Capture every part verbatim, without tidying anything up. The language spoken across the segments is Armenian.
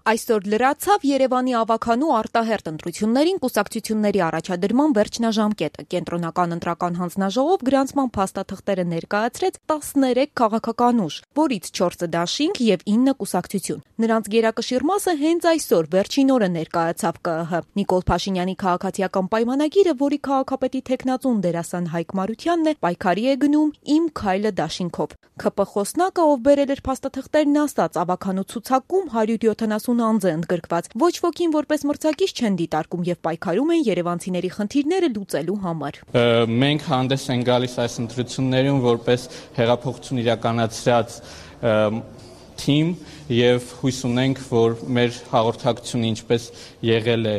Այսօր լրացավ Երևանի ավագանու արտահերթ ընտրություններին կուսակցությունների առաջադրման վերջնաժամկետը։ Կենտրոնական ընտրական հանձնաժողով գրանցման փաստաթղթերը ներկայացրեց տասներեք քաղաքական ուժ, որից չորսը դաշինք եւ ինը կուսակցություն։ Նրանց գերակշիռ մասը հենց այսօր վերջին օրը ներկայացավ Կ ԸՀ։ Նիկոլ Փաշինյանի քաղաքացիական պայմանագիրը, որի քաղաքապետի թեկնածուն դերասան Հայկ Մարությանն է, պայքարի է գնում «Իմ քայլը» դաշինքով։ Ք Պ խոսնակը, ով բերել էր փաստաթղթերն, ասաց, ավագանու ցուցակում հարյուր յոթանասուն անձ է ընդգրկված։ Ոչ ոքին որպես մրցակից չեն դիտարկում եւ պայքարում են երևանցիների խնդիրները լուծելու համար։ Մենք հանդես ենք գալիս այս ընտրություններում որպես հեղափոխություն իրականացրած թիմ եւ հույս ունենք, որ մեր հաղորդակցությունը ինչպես եղել է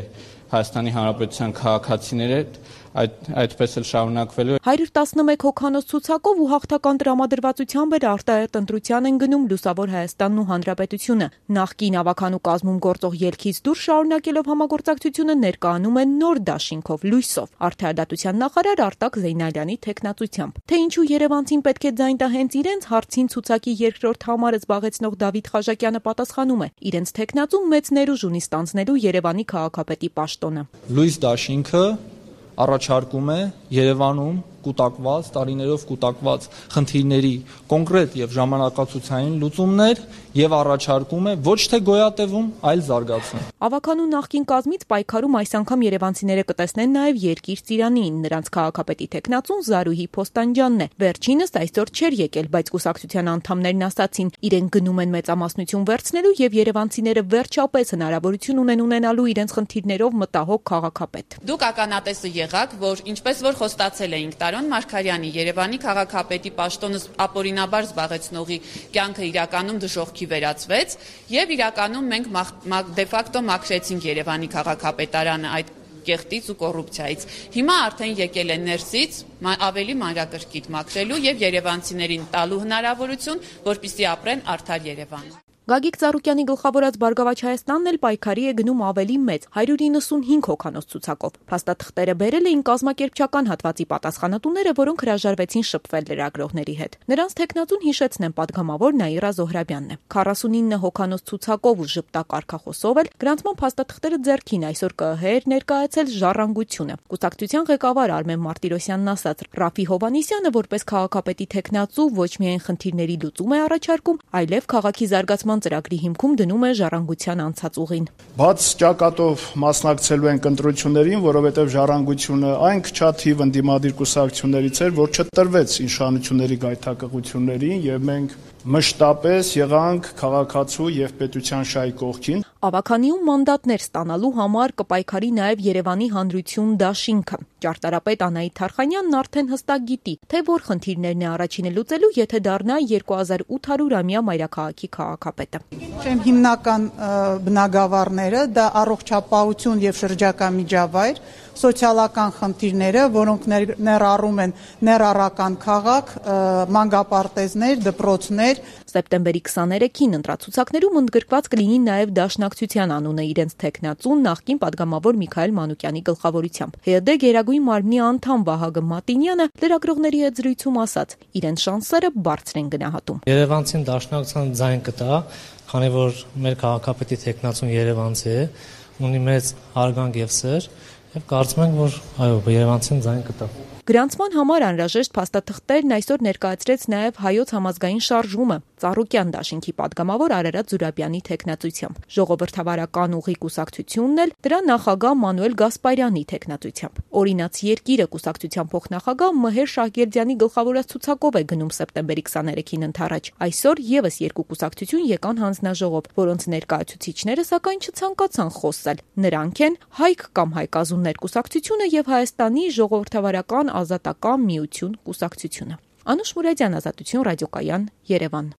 Հայաստանի Հանրապետության քաղաքացիների հետ, այդ այդպես էլ շարունակվելու է։ հարյուր տասնմեկ հոգանոց ցուցակով ու հաղթական տրամադրվածությամբ էր արտահերթ ընտրության են գնում Լուսավոր Հայաստանն ու Հանրապետությունը։ Նախկին ավագանու կազմում գործող ելքից դուրս շարունակելով համագործակցությունը ներկայանում են նոր դաշինքով լույսով արդարադատության նախարար Արտակ Զեյնալյանի թեկնածությամբ։ Թե ինչու երևանցին պետք է ձայն տա հենց իրենց հարցին ցուցակի երկրորդ համարը զբաղեցնող Դավիթ Խաժակյանը պատասխանում է. իրենց թեկնածուն մեծ ներուժ ունի ստանձնելու Երևանի քաղաքապետի պաշտոնը։ Լույս դաշինքը առաջարկում է Երևանում կուտակված, տարիներով կուտակված խնդիրների կոնկրետ եւ ժամանակացուցային լուծումներ եւ առաջարկում է ոչ թե գոյատևում, այլ զարգացում։ Ավագանու նախկին կազմից պայքարում այս անգամ երևանցիները կտեսնեն նաեւ Երկիր Ծիրանին, նրանց քաղաքապետի թեկնածուն Զարուհի Փոստանջյանն է։ Վերջինս այսօր չէր եկել, բայց կուսակցության անդամներն ասացին, իրենք գնում են մեծամասնություն վերցնելու եւ երևանցիները վերջապես հնարավորություն ունեն ունենալու իրենց խնդիրներով մտահոգ քաղաքապետ։ Դուք ականատեսը եղաք, որ ինչպես որ խոստացել էինք Տարոն Մարգարյանի Երևանի քաղաքապետի պաշտոնը ապօրինաբար զբաղեցնողի կյանքը իրականում դժոխքի վերածվեց եւ իրականում մենք դե ֆակտո մաքրեցինք Երևանի քաղաքապետարանը այդ կեղտից ու կոռուպցիայից։ Հիմա արդեն եկել են ներսից ավելի մանրակրկիտ մաքրելու եւ երևանցիներին տալու հնարավորություն, որպեսզի ապրեն արդար Երևան։ Գագիկ Ծառուկյանի գլխավորած Բարգավաճ Հայաստանն էլ պայքարի է գնում ավելի մեծ հարյուր իննսունհինգ հոգանոց ցուցակով։ Փաստաթղթերը բերել էին կազմակերպչական հատվածի պատասխանատուները, որոնք հրաժարվեցին շփվել լրագրողների հետ։ Նրանց թեկնածուն հիշեցնեն պատգամավոր Նաիրա Զոհրաբյանն է։ քառասունինը հոգանոց ցուցակով ու ժպտակարգախոսով էլ գրանցման փաստաթղթերը ձեռքին այսօր Կ ԸՀ էր ներկայացել Ժառանգությունը։ Կուսակցության ղեկավար Արմեն Մարտիրոսյանն ասաց. Ռաֆի Հովհաննիսյանը որպես քաղաքապետի թեկնածու ոչ միայն խնդիրների լուծում է առաջարկում, այլև քաղաքի զարգացման ծրագրի հիմքում դնում է Ժառանգության անցած ուղին։ Բաց ճակատով մասնակցելու են ընտրություններին, որովհետև Ժառանգությունը այն քչաթիվ ընդդիմադիր կուսակցություններից էր, որ չտրվեց իշխանությունների գայթակղություններին եւ մենք մշտապես եղանք քաղաքացու եւ պետության շահի կողքին։ Ավագանիում մանդատներ ստանալու համար կպայքարի նաև Երևանի հանրություն դաշինքը։ Ճարտարապետ Անահիտ Թարխանյանն արդեն հստակ գիտի, թե որ խնդիրներն է առաջինը լուծելու, եթե դառնա երկու հազար ութ հարյուրամյա մայրաքաղաքի քաղաքապետը։ Չեմ հիմնական բնագավառները դա առողջապահություն եւ շրջակա միջավայր, սոցիալական խնդիրները, որոնք ներառում են ներառական քաղաք, մանկապարտեզներ, դպրոցներ։ Սեպտեմբերի քսաներեքին ընտրացուցակներում ընդգրկված կլինի նաև Դաշնակցության անունը իրենց թեկնածուն նախկին պատգամավոր Միքայել Մանուկյանի գլխավորությամբ։ Հ Դ Գերագույն մարմնի անդամ Վահագն Մատինյանը լրագրողների հետ զրույցում ասաց. իրենց շանսերը բարձր են գնահատում։ Երևանցին Դաշնակցության ձայն կտա, քանի որ մեր քաղաքապետի թեկնածուն երևանցի է, ունի մեծ հարգանք եւ սեր, եւ կարծում ենք, որ այո, երևանցին ձայն կտա։ Գրանցման համար անհրաժեշտ փաստաթղթերն այսօր ներկայացրեց նաև Հայոց համազգային շարժումը Ծառուկյան դաշինքի падգամավոր Արարատ Զուրաբյանի թեկնածությամբ։ Ժողովրդավարական ուղի կուսակցությունն էլ դրա նախագահ Մանուել Գասպարյանի թեկնածությամբ։ Օրինաց երկիրը կուսակցության փոխնախագահ Մհեր Շահգերդյանի գլխավորած ցուցակով է գնում սեպտեմբերի քսաներեքին ընթരാճ։ Այսօր եւս երկու կուսակցություն եկան հանձնաժողով, որոնց ներկայացուցիչները սակայն չցանկացան խոսել։ Նրանք են Հայք կամ Հայկազուններ կուսակցությունը եւ Հայաստանի ժողովրդավարական ազատական միություն կուսակցությունը։ Անուշ Մուրադյան, Ազատություն ռադիոկայան, Երևան։